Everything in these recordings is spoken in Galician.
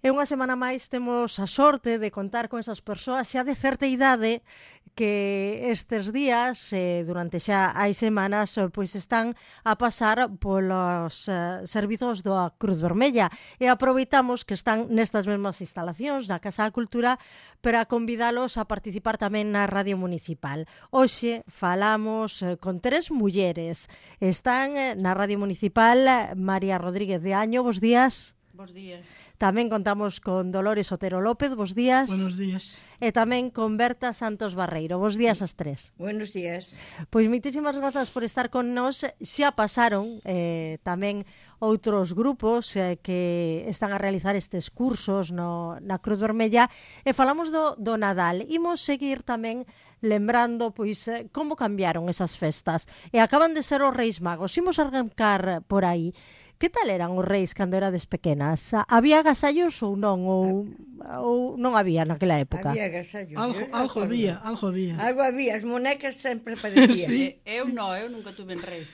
E unha semana máis temos a sorte de contar con esas persoas xa de certa idade que estes días, durante xa hai semanas, pois están a pasar polos servizos da Cruz Vermella. E aproveitamos que están nestas mesmas instalacións, na Casa da Cultura, para convidalos a participar tamén na Radio Municipal. Hoxe falamos con tres mulleres. Están na Radio Municipal María Rodríguez de Año, bos días. Bos días. Tamén contamos con Dolores Otero López, bos días. Buenos días. E tamén con Berta Santos Barreiro, bos días as tres. Buenos días. Pois moitísimas grazas por estar con nós. Xa pasaron tamén outros grupos que están a realizar estes cursos na Cruz Vermella e falamos do Nadal. Imos seguir tamén lembrando pois como cambiaron esas festas. E acaban de ser os Reis Magos. Imos arrancar por aí. Que tal eran os reis cando erades pequenas? Había agasallos ou non? Ou non había naquela época? Había agasallos. Algo había. Algo había, as monecas sempre aparecían. Sí. Eu nunca tuve en reis.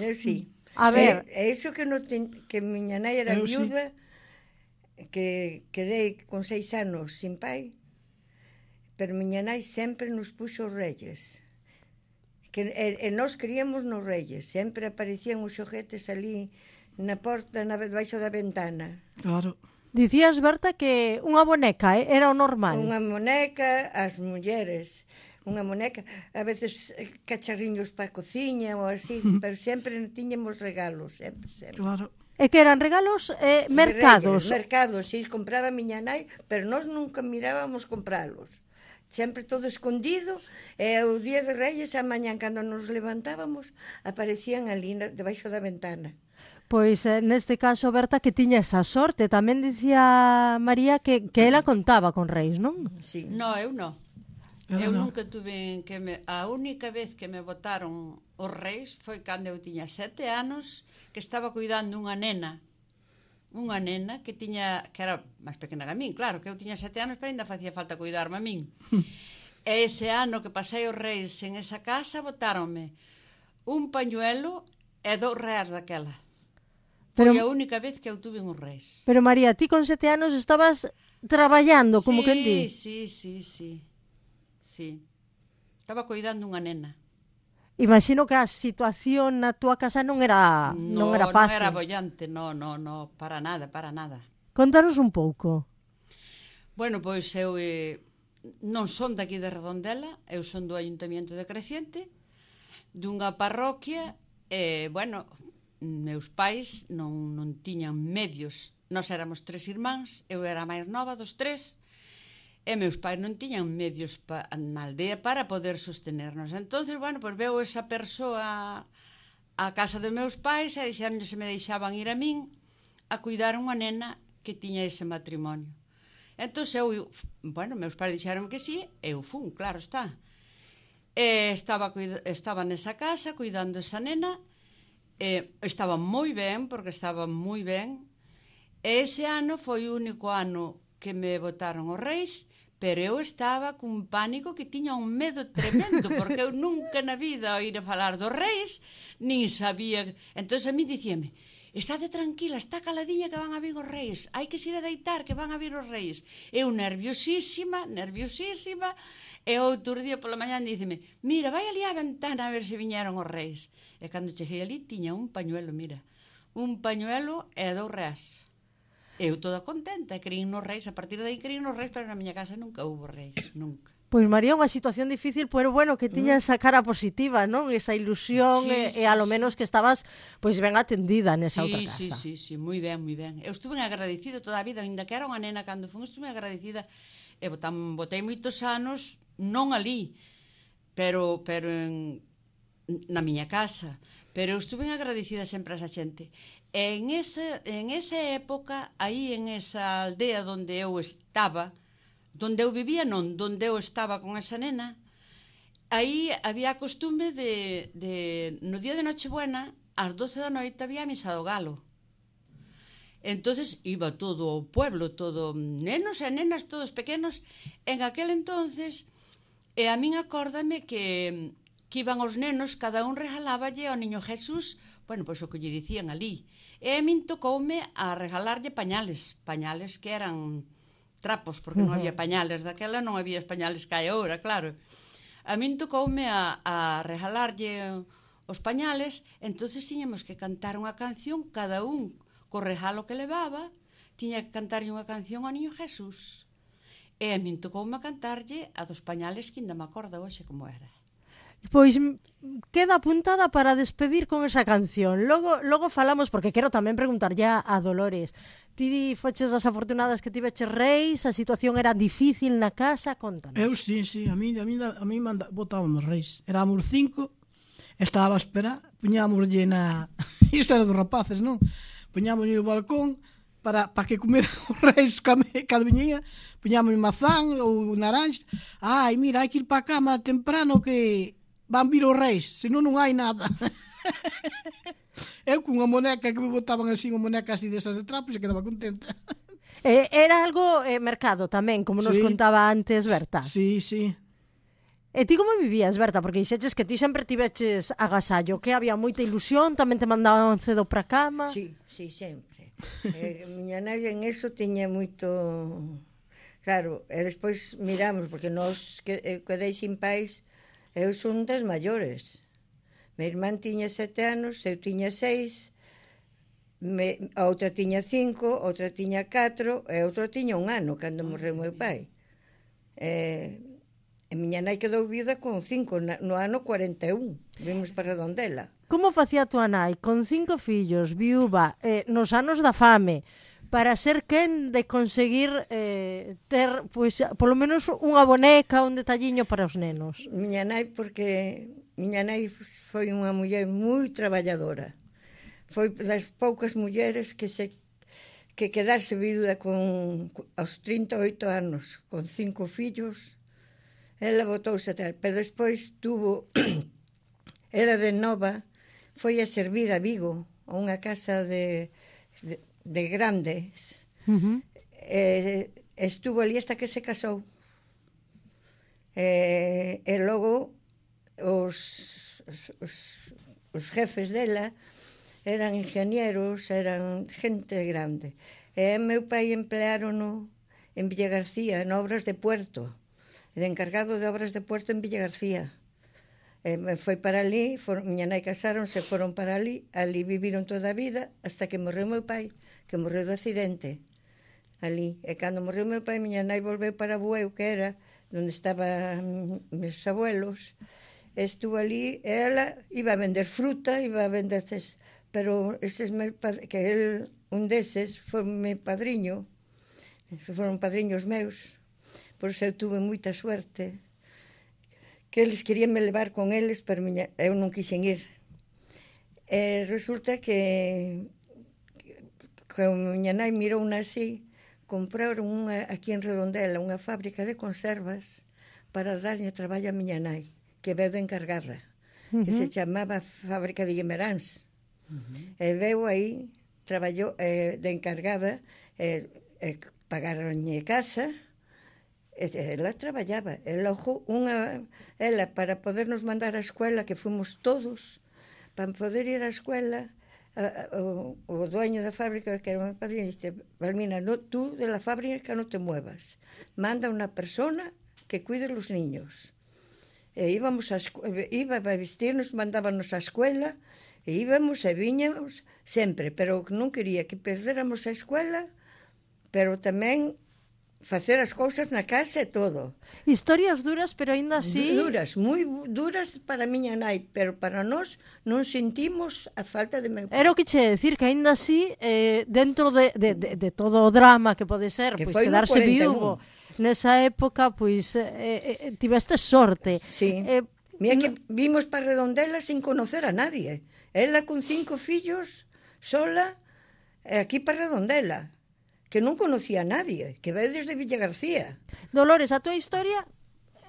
Eu sí. A ver. É iso que que miña nai era viuda, que quedei con 6 anos sin pai, pero miña nai sempre nos puxo os reyes. E nós queríamos nos reyes. Sempre aparecían os xoguetes ali na porta, baixo da ventana. Claro. Dicías, Berta, que unha boneca era o normal. Unha boneca, as mulleres, unha boneca, a veces cacharriños para a cociña ou así, pero sempre tiñamos regalos, sempre. Claro. E que eran regalos mercados. Mercados, sí, compraba miña nai, pero nós nunca mirábamos compralos. Sempre todo escondido, e o día de Reyes, a mañan, cando nos levantábamos, aparecían ali debaixo da ventana. Pois neste caso, Berta, que tiña esa sorte. Tamén dicía María que ela contaba con reis, non? Sí. No, eu non. Eu non. Nunca tuve a única vez que me botaron os reis foi cando eu tiña 7 anos, que estaba cuidando unha nena que era máis pequena que a min, claro, que eu tiña 7 anos, pero ainda facía falta cuidarme a min. E ese ano que pasei os reis en esa casa, botáronme un pañuelo e 2 reas daquela. Foi a única vez que eu tuve uns reis. Pero María, ti con 7 anos estabas traballando, como quen di? Sí. Estaba cuidando unha nena. Imagino que a situación na túa casa non era fácil. Non era bollante, no, para nada. Contanos un pouco. Bueno, pois eu non son daqui de Redondela, eu son do Ayuntamiento de Creciente, dunha parroquia, bueno, meus pais non tiñan medios. Nós éramos 3 irmáns, eu era a máis nova dos 3, e meus pais non tiñan medios na aldea para poder sostenernos. Entonces, bueno, pois veo esa persoa a casa de meus pais e dixeron se me deixaban ir a min a cuidar unha nena que tiña ese matrimonio. Entón, bueno, meus pais dixeron que sí, eu fun, claro está. Estaba nesa casa cuidando esa nena, estaba moi ben, porque estaba moi ben, e ese ano foi o único ano que me botaron os reis, pero eu estaba cun pánico que tiña un medo tremendo, porque eu nunca na vida oíra falar dos reis, nin sabía. Entón a mí dicíame, estate tranquila, está caladiña que van a vir os reis, hai que se ir a deitar que van a vir os reis. Eu nerviosísima, e outro día pola mañá díceme, mira, vai ali á ventana a ver se viñeron os reis. E cando cheguei ali tiña un pañuelo, mira, un pañuelo e 2 reas. Eu toda contenta, creín nos reis, a partir de aí creín nos reis, pero na miña casa nunca hubo reis, nunca. Pois María, unha situación difícil, pero bueno, que tiña esa cara positiva, non? Esa ilusión, e a lo menos que estabas pois ben atendida nesa outra casa. Sí, moi ben. Eu estuve agradecida toda a vida, ainda que era unha nena cando fun, estuve agradecida, e botei moitos anos, non ali, pero na miña casa, pero eu estuve agradecida sempre a esa xente. E en esa época, aí en esa aldea onde eu estaba, onde eu vivía non, onde eu estaba con esa nena, aí había a costume no día de Nochebuena, ás 12 da noite había a misa do galo. Entonces iba todo o pueblo, todo nenos e nenas, todos pequenos, en aquel entonces, e a min acórdame que iban os nenos, cada un regaláballe ao niño Jesús bueno, pois o que lle dicían ali. E a min tocoume a regalarlle pañales que eran trapos, porque non había pañales daquela, non había pañales que hai agora, claro. A min tocoume a regalarlle os pañales, entonces tiñamos que cantar unha canción, cada un co regalo que levaba, tiña que cantarlle unha canción ao Niño Jesús. E a min tocoume a cantarlle a dos pañales que ainda me acordo hoxe como era. Pois queda apuntada para despedir con esa canción. Logo falamos, porque quero tamén preguntarlle a Dolores. Ti foches das afortunadas que tiveches reis, a situación era difícil na casa, contanos. Eu sí, a mí botábamos reis. Éramos 5, estaba a esperar, puñámoslle na... Isto era dos rapaces, non? Puñámoslle no balcón para que comer os reis cada viñía, puñámoslle mazán ou naranxa. Ai, mira, hai que ir para a cama temprano que van vir os reis, senón non hai nada. Eu cunha moneca que me botaban así, unha moneca así desas de trapo, e quedaba contenta. Era algo mercado tamén, como nos contaba antes Berta. Sí. E ti como vivías, Berta? Porque dixeches que ti sempre tiveches agasallo, que había moita ilusión, tamén te mandaban cedo para cama. Sí, sempre. Miña nai en eso tiña moito... Claro, e despois miramos, porque nós quedei sin pais, eu son das maiores. Meu irmán tiña 7 anos, eu tiña 6, a outra tiña 5, outra tiña 4, e outra tiña 1 ano, cando morreu meu pai. E miña nai quedou viuda con 5, no ano 41, vimos para Redondela. Como facía a tua nai, con 5 fillos, viúva, nos anos da fame, para ser quen de conseguir ter, pois, polo menos unha boneca, un detalliño para os nenos? Miña nai, porque miña nai foi unha muller moi traballadora. Foi das poucas mulleres que quedarse viuda aos 38 anos, con 5 fillos. Ela botouse a ter, pero despois era de nova, foi a servir a Vigo, a unha casa de grandes. Estuvo ali hasta que se casou. E logo os jefes dela eran ingenieros, eran gente grande. E meu pai empleárono en Villa García, en obras de puerto, de encargado de obras de puerto en Villa García. Foi para ali, miña nai casaronse, foron para ali viviron toda a vida, hasta que morreu meu pai, que morreu de accidente ali. E cando morreu meu pai, miña nai volveu para Bueu, que era onde estaban meus abuelos. Estuvo ali, e ela iba a vender fruta, iba a vender pero un deses foi meu padriño, foron padriños meus, por isso eu tuve moita suerte, que eles querían me levar con eles, pero eu non quixen ir. E resulta que miña nai mirou así, compraron aquí en Redondela unha fábrica de conservas para darlle traballo a miña nai, que veu de encargada, que se chamaba Fábrica de Guimeráns. E veu aí, traballou de encargada, pagaronlle casa. Ela traballaba, ela para podernos mandar á escuela, que fomos todos, para poder ir á escuela, o dueño da fábrica, que era unha padrina, dice: Valmina, tú de la fábrica no te muevas, manda unha persona que cuide los niños. Iba a vestirnos, mandábanos á escuela, e íbamos e viñamos sempre, pero non quería que perdéramos a escuela, pero tamén facer as cousas na casa e todo. Historias duras, pero aínda así... Duras, moi duras para a miña nai, pero para nós non sentimos a falta de meu pai. Era o que che decir, que aínda así, dentro de todo o drama que pode ser, que pois quedarse viúvo, nesa época, pois tiveste sorte. Sí. Mira que vimos para Redondela sin conocer a nadie. Ela con 5 fillos, sola, aquí para Redondela, que non conocía a nadie, que veio desde Villa García. Dolores, a tua historia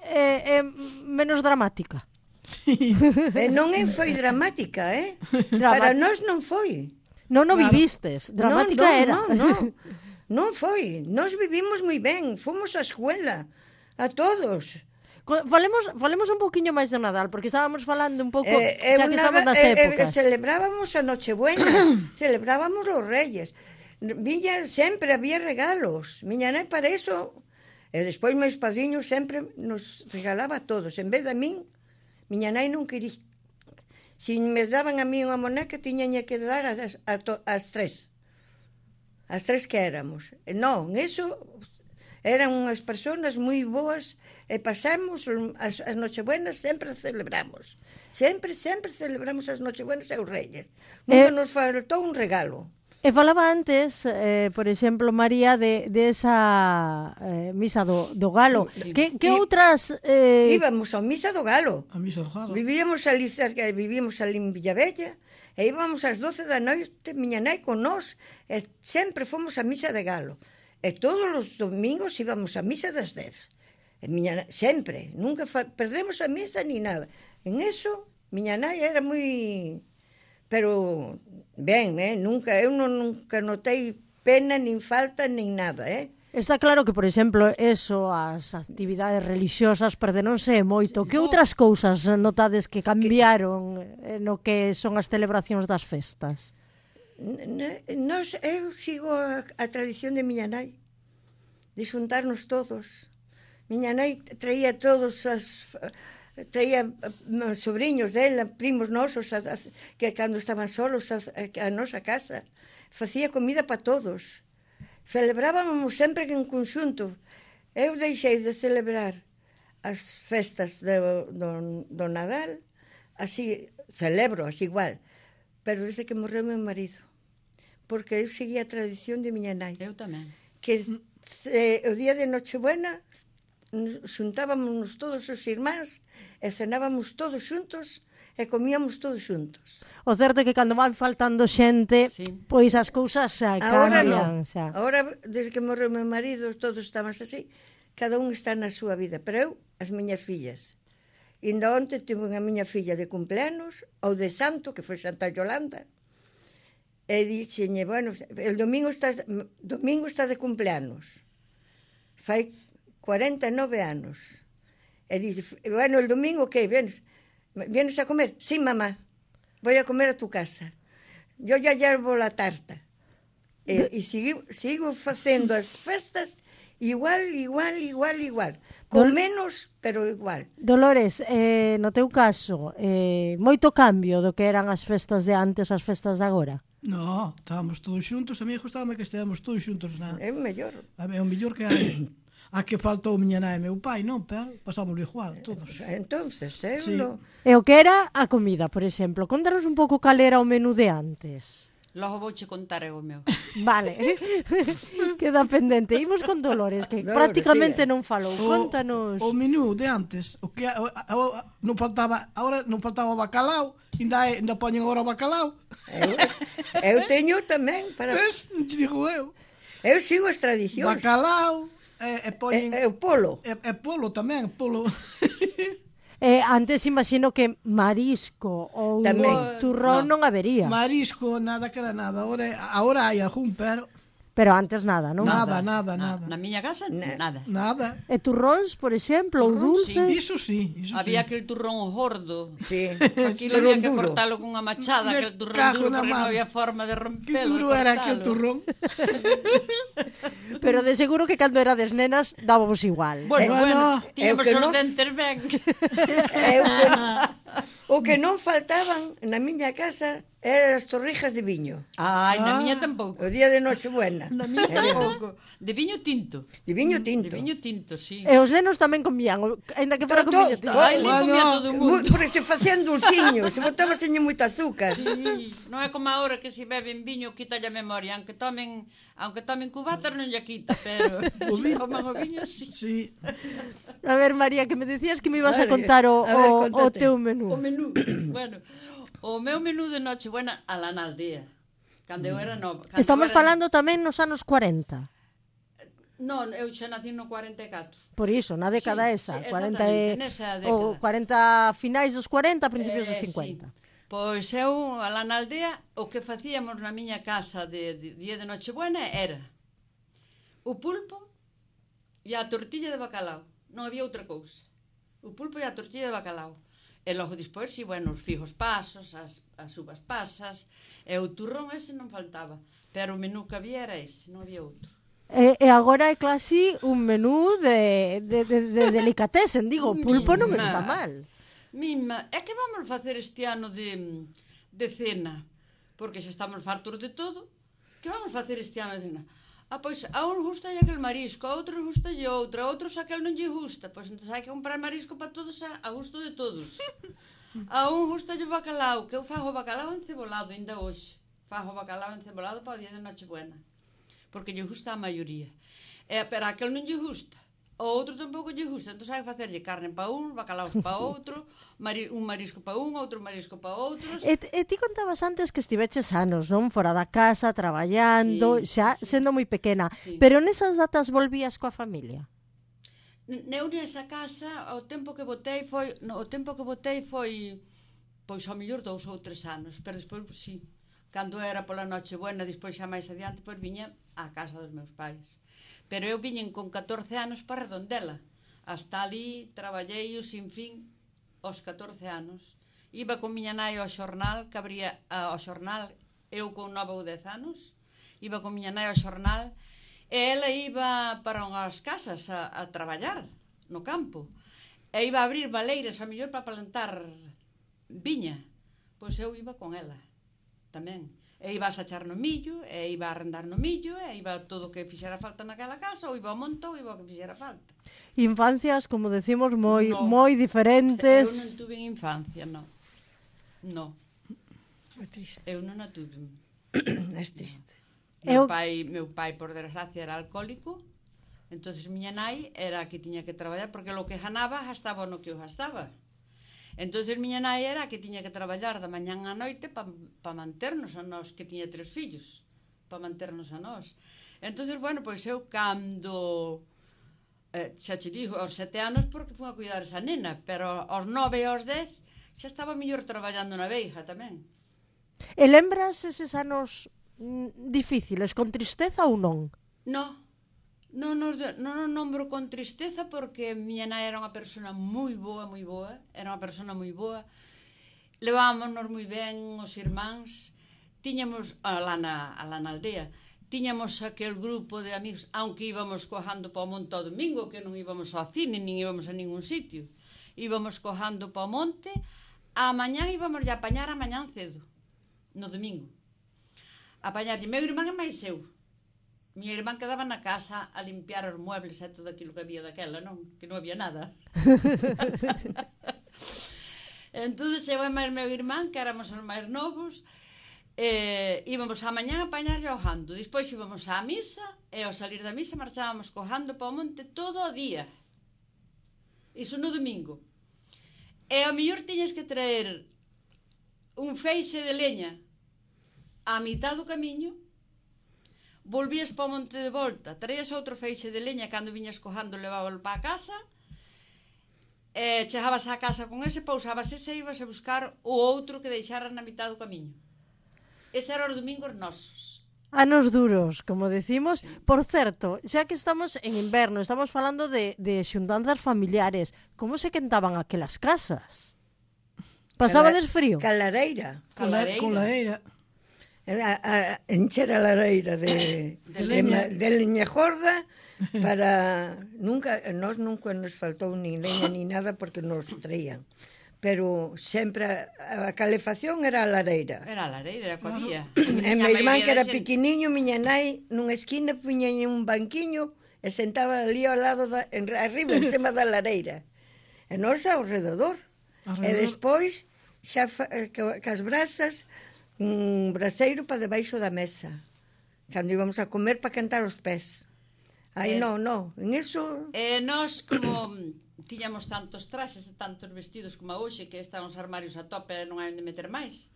é menos dramática. Non foi dramática, Para nós non foi. Non o vivistes, dramática era. Non foi. Nós vivimos moi ben, fomos á escuela, a todos. Falemos un poquinho máis do Nadal, porque estábamos falando un pouco, xa que estamos nas épocas. Celebrábamos a Nochebuena, celebrábamos los Reyes. Viña, sempre había regalos. Miña nai para eso... E despois meus padriños sempre nos regalaba a todos. En vez de a min, miña nai non quería. Se me daban a mí unha moneca, tiñaña que dar as tres. As tres que éramos. Non, eso eran unhas persoas moi boas e pasamos as Nochebuenas, sempre celebramos. Sempre celebramos as Nochebuenas e os Reyes. Nunca nos faltou un regalo. E falaba antes, por exemplo, María, de esa misa do Galo. Sí. Que outras... Íbamos ao misa do Galo. A misa do Galo. Vivíamos ali en Villavella e íbamos ás 12 da noite, miña nai con nós, e sempre fomos á misa de Galo. E todos os domingos íbamos á misa das 10. E sempre, nunca perdemos a misa ni nada. En eso, miña nai era moi... Pero, ben, eu nunca notei pena, nin falta, nin nada, Está claro que, por exemplo, as actividades religiosas perderonse moito. Que outras cousas notades que cambiaron no que son as celebracións das festas? Eu sigo a tradición de miña nai, de xuntarnos todos. Miña nai traía todos traía sobrinhos dela, primos nosos, que cando estaban solos a nosa casa, facía comida para todos. Celebrábamos sempre en conxunto. Eu deixei de celebrar as festas do Nadal, así, celebro-as igual, pero desde que morreu meu marido, porque eu seguía a tradición de miña nai. Eu tamén. Que o día de Nochebuena xuntábamos todos os irmáns e cenábamos todos xuntos e comíamos todos xuntos. O certo é que cando van faltando xente, pois as cousas cambian. Agora, desde que morreu meu marido, todos estamos así, cada un está na súa vida, pero eu, as miñas fillas. Inda onte tive unha miña filla de cumpleanos, ou de santo, que foi Santa Yolanda, e dixenlle, bueno, el domingo está de cumpleanos. Fai 49 anos. E dice, bueno, el domingo, ¿qué? ¿Vienes a comer? Sí, mamá, voy a comer a tu casa. Yo ya llevo la tarta. E sigo facendo as festas igual. Con menos, pero igual. Dolores, no teu caso, moito cambio do que eran as festas de antes as festas de agora? No, estábamos todos xuntos, a mí gustaba que estéamos todos xuntos. É o mellor. É o mellor que hai. A que faltou miña nai e meu pai, non? Pero pasamos igual, todos. Entonces, sí. E o que era a comida, por exemplo. Contanos un pouco cal era o menú de antes. Logo vouche contar eu o meu. Vale, queda pendente. Imos con Dolores, que prácticamente non falou. Contanos. O menú de antes, o que non faltaba, agora non faltaba o bacalao, ainda poñen agora o bacalao. Eu teño tamén para... Ves, non te digo eu. Eu sigo as tradicións. Bacalao, poñen... o polo. E polo tamén, polo... Antes imagino que marisco ou turrón non habería. Marisco, nada que era nada. Ahora hai algún, pero antes nada, non? Nada. Na miña casa, nada. E turróns, por exemplo, ou dulces? Iso sí. Había aquel turrón gordo. Sí. Aquilo había que cortalo cunha machada, aquel turrón duro, porque non había forma de rompelo. Que duro era aquel turrón. Pero de seguro que cando erades nenas dábamos igual. Bueno, tíamos os dentes ben. O que non faltaban na miña casa eran as torrijas de viño. Ai, na miña tampouco. O día de Nochebuena. Na miña tampouco. De viño tinto. De viño tinto. De viño tinto, sí. E os nenos tamén comían, ainda que fora con viño tinto. Ai, comía todo o mundo. Porque se facían dulciños, se botabaseño moito azúcar. Sí, non é como agora que se beben viño quítalle a memoria, aunque tomen cubatas non lle quita, pero se coman o viño, sí. A ver, María, que me decías que me ibas a contar o teu menú. O menú, bueno, o meu menú de Nochebuena alá na aldea, cando eu era nova. Estamos falando tamén nos anos 40. Non, eu xa nací no 44. Por iso, na década esa, 40 nesa década. O 40 finais dos 40, principios dos 50. Sí. Pois eu, alá na aldea, o que facíamos na miña casa de día de Nochebuena era o pulpo e a tortilla de bacalao. Non había outra cousa. O pulpo e a tortilla de bacalao. E logo despois, si, bueno, os figos pasos, as uvas pasas, e o turrón ese non faltaba. Pero o menú que había era ese, non había outro. E agora é casi un menú de delicatessen, digo, o pulpo non está mal. Mima, é que vamos facer este ano de cena, porque xa estamos fartos de todo. Que vamos facer este ano de cena? Pois a un gusta aquel marisco, a outro gusta outro, a outros aquel non lle gusta. Pois entón hai que comprar marisco para todos a gusto de todos. A un gusta o bacalao, que eu fago bacalao encebolado ainda hoxe. Fago bacalao encebolado para o día de Nochebuena. Porque lle gusta a maioría. Pero aquel non lle gusta. O outro tampouco lle gusta, entón hai que facerlle carne para un, bacalaos para outro, un marisco para un, outro marisco para outros. E ti contabas antes que estiveches anos, non? Fora da casa, traballando, xa sendo moi pequena. Pero nesas datas volvías coa familia? Eu nesa casa, o tempo que botei foi, pois ao mellor 2 ou 3 anos, pero despois, sí, cando era pola Nochebuena, despois xa máis adiante, pois viña á casa dos meus pais. Pero eu viñen con 14 anos para Redondela. Hasta ali traballei o sin fin aos 14 anos. Iba con miña nai ao xornal, que abría ao xornal, eu con 9 ou 10 anos. Iba con miña nai ao xornal, e ela iba para unhas casas a traballar no campo. E iba a abrir baleiras, a mellor para plantar viña. Pois eu iba con ela, tamén. E iba a sachar no millo, e iba a arrendar no millo, e iba todo o que fixera falta naquela casa, ou iba ao monte, ou iba o que fixera falta. Infancias, como decimos, moi diferentes. Eu non tuve infancia, non. Non. É triste. Eu non a tuve. É triste. Meu pai, por desgracia, era alcohólico, entonces miña nai era a que tiña que traballar, porque lo que ganaba, gastaba no que eu gastaba. Entonces miña nai era a que tiña que traballar da mañán á noite para manternos a nós, que tiña 3 fillos, para manternos a nós. Entonces, bueno, pois eu cando, xa che digo, aos 7 anos, porque fui a cuidar esa nena, pero aos 9 e aos 10 xa estaba mellor traballando na Beija tamén. E lembras eses anos difíciles, con tristeza ou non? Non nombro con tristeza porque miña nai era unha persona moi boa, era unha persona moi boa. Levámonos moi ben os irmáns, tiñamos alá na aldea, tiñamos aquel grupo de amigos, aunque íbamos cojando para o monte ao domingo, que non íbamos ao cine, nin íbamos a ningún sitio. Íbamos cojando para o monte, a mañán íbamos a apañar a mañán cedo, no domingo. Apañarlle meu irmán e máis eu. Miña irmán quedaba na casa a limpiar os muebles e todo aquilo que había daquela, non? Que non había nada. Entón, eu e máis meu irmán, que éramos os máis novos, íbamos a mañán a apañarlle ao jando. Despois íbamos á misa, e ao salir da misa marchábamos cojando para o monte todo o día. Iso no domingo. E ao mellor tiñas que traer un feixe de leña á mitad do camiño, volvías para o monte de volta, traías outro feixe de leña, cando viñas cojando levábalo para a casa, e chegabas á casa con ese, pousabas ese e ibas a buscar o outro que deixaras na mitad do camiño. Ese eran os domingos nosos. Anos duros, como decimos. Por certo, xa que estamos en inverno, estamos falando de xuntanzas familiares, como se quentaban aquelas casas? Pasabades frío? Calareira. Con lareira. Encher a lareira de leña gorda para nós nunca nos faltou nin leña ni nada porque nos traían, pero sempre a calefacción era a lareira. Era a lareira, era que había. E meu irmán que era pequeniño, miña nai nunha esquina puña un banquiño e sentaba ali ao lado arriba, en tema da lareira, e nós ao redor. E despois xa cas brasas, un braseiro para debaixo da mesa, cando íbamos a comer para cantar os pés. Non, en eso... Nós, como tiñamos tantos traxes e tantos vestidos como a hoxe, que están os armarios a tope e non hai onde meter máis,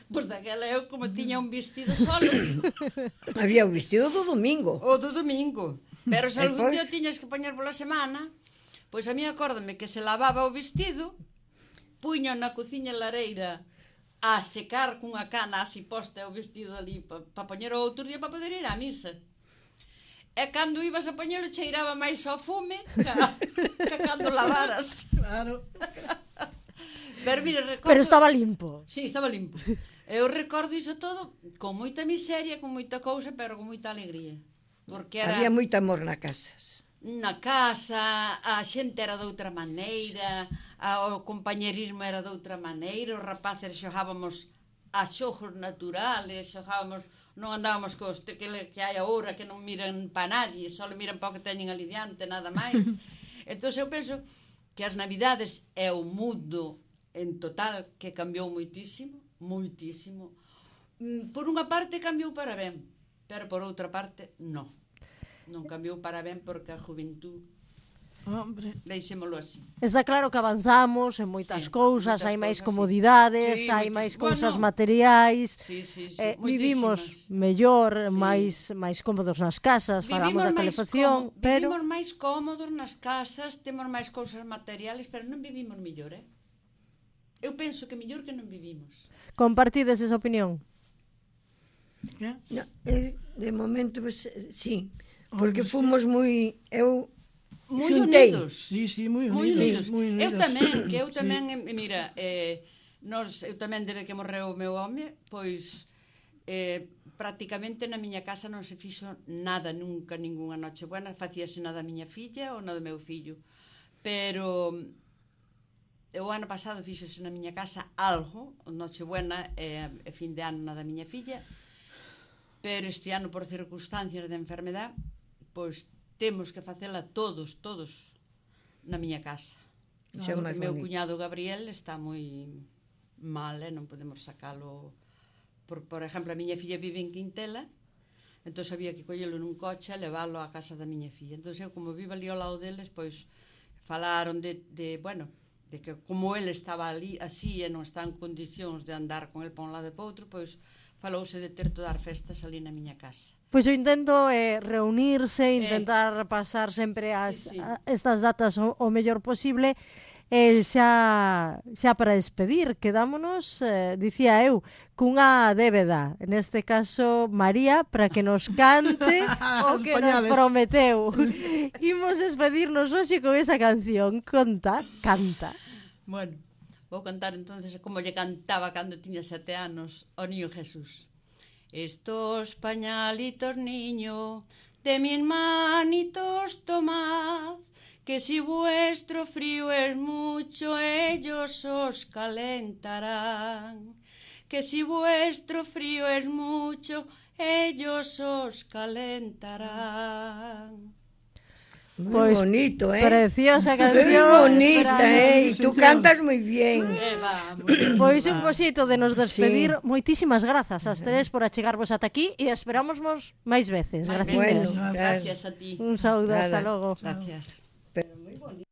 pois daquela eu, como tiña un vestido solo... Había o vestido do domingo. O do domingo. Pero se algún día tiñas que poñer pola semana, pois a mí acórdame que se lavaba o vestido, puño na cociña lareira a secar cunha cana así posta o vestido ali para poñer o outro día para poder ir á misa. E cando ibas a poñelo cheiraba máis ao fume que cando lavaras. Claro. Pero, mire, recordo... Pero estaba limpo. Sí, estaba limpo. Eu recordo iso todo con moita miseria, con moita cousa, pero con moita alegría. Porque era... Había moito amor na casas. Na casa, a xente era doutra maneira, o compañerismo era doutra maneira, os rapaces xogábamos a xogos naturales, xogábamos, non andábamos cos que hai agora que non miran pa nadie, só miran pa o que teñen ali diante, nada máis. Entón eu penso que as Navidades é o mundo en total que cambiou moitísimo, moitísimo. Por unha parte cambiou para ben, pero por outra parte non. Non cambiou para ben porque a juventud, Hombre. deixémolo así. Está claro que avanzamos en moitas Sí, cousas, moitas hai máis cousas, comodidades, sí. hai Sí, máis moitísimas. cousas Bueno, materiais. Sí, Vivimos moitísimas. mellor, Sí. máis cómodos nas casas, falamos da calefacción, pero Vivimos máis cómodos nas casas, temos máis cousas materiales, pero non vivimos mellor, Eu penso que mellor que non vivimos. compartides esa opinión? Que? No, de momento, pues, sí. Porque fomos moi... Eu Moi xuntei. unidos. Sí, moi Moi unidos. unidos. Moi Eu unidos. tamén, que eu Sí. tamén, mira, eu tamén desde que morreu o meu home, pois prácticamente na miña casa non se fixo nada nunca, ningunha noche buena, facíase nada a miña filla ou na do meu fillo. Pero o ano pasado fixose na miña casa algo, noche buena e fin de ano na da miña filla, pero este ano por circunstancias de enfermedad, pois temos que facela todos na miña casa. Xa é Porque máis o meu bonito. cuñado Gabriel está moi mal, non podemos sacalo. Por exemplo, a miña filla vive en Quintela, entón había que collelo nun coche e leválo á casa da miña filla. Entón eu, como vivo ali ao lado deles, pois falaron de que como ele estaba ali así e non está en condicións de andar con el pa un lado e pa outro, pois falouse de ter todas as festas ali na miña casa. Pois o intento é reunirse, intentar pasar sempre sí. estas datas o mellor posible. Xa para despedir, quedámonos, dicía eu, cunha débeda, neste caso María, para que nos cante o que nos prometeu. Imos despedirnos hoxe con esa canción. Canta. Bueno, vou cantar entonces como lle cantaba cando tiña 7 anos ao niño Jesús. Estos pañalitos, niño, de mis manitos tomad, que si vuestro frío es mucho, ellos os calentarán. Que si vuestro frío es mucho, ellos os calentarán. Moi bonito, Preciosa Moi canción. bonita, Sí, Tú señor. cantas moi bien. Pois un poxito de nos despedir. Sí. Moitísimas grazas ás tres por achegarvos ata aquí e esperámosvos máis veces. Gracias. Bueno, Gracias a ti. Un saúdo, hasta Nada. logo. Gracias. Pero moi bonito.